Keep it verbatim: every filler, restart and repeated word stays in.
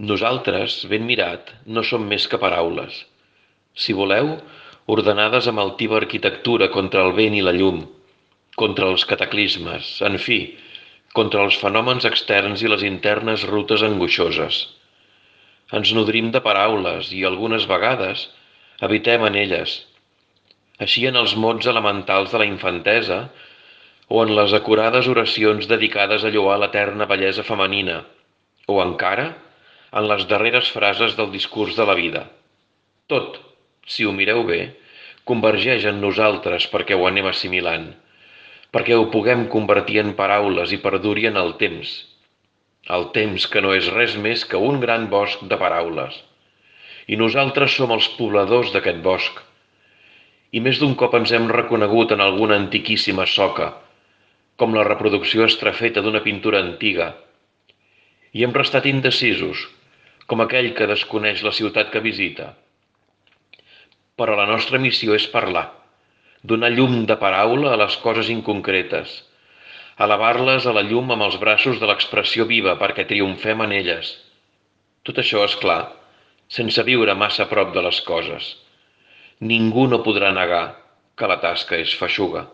Nosaltres, ben mirat, no som més que paraules. Si voleu, ordenades amb altiva arquitectura contra el vent i la llum, contra els cataclismes, en fi, contra els fenòmens externs i les internes rutes angoixoses. Ens nodrim de paraules i, algunes vegades, habitem en elles. Així en els mots elementals de la infantesa o en les acurades oracions dedicades a lloar l'eterna bellesa femenina, o encara en les darreres frases del discurs de la vida. Tot, si ho mireu bé, convergeix en nosaltres perquè ho anem assimilant, perquè ho puguem convertir en paraules i perduri en el temps. El temps que no és res més que un gran bosc de paraules. I nosaltres som els pobladors d'aquest bosc. I més d'un cop ens hem reconegut en alguna antiquíssima soca, com la reproducció estrafeta d'una pintura antiga, i hem restat indecisos, com aquell que desconeix la ciutat que visita. Però la nostra missió és parlar, donar llum de paraula a les coses inconcretes, elevar-les a la llum amb els braços de l'expressió viva perquè triomfem en elles. Tot això, és clar, sense viure massa a prop de les coses. Ningú no podrà negar que la tasca és feixuga.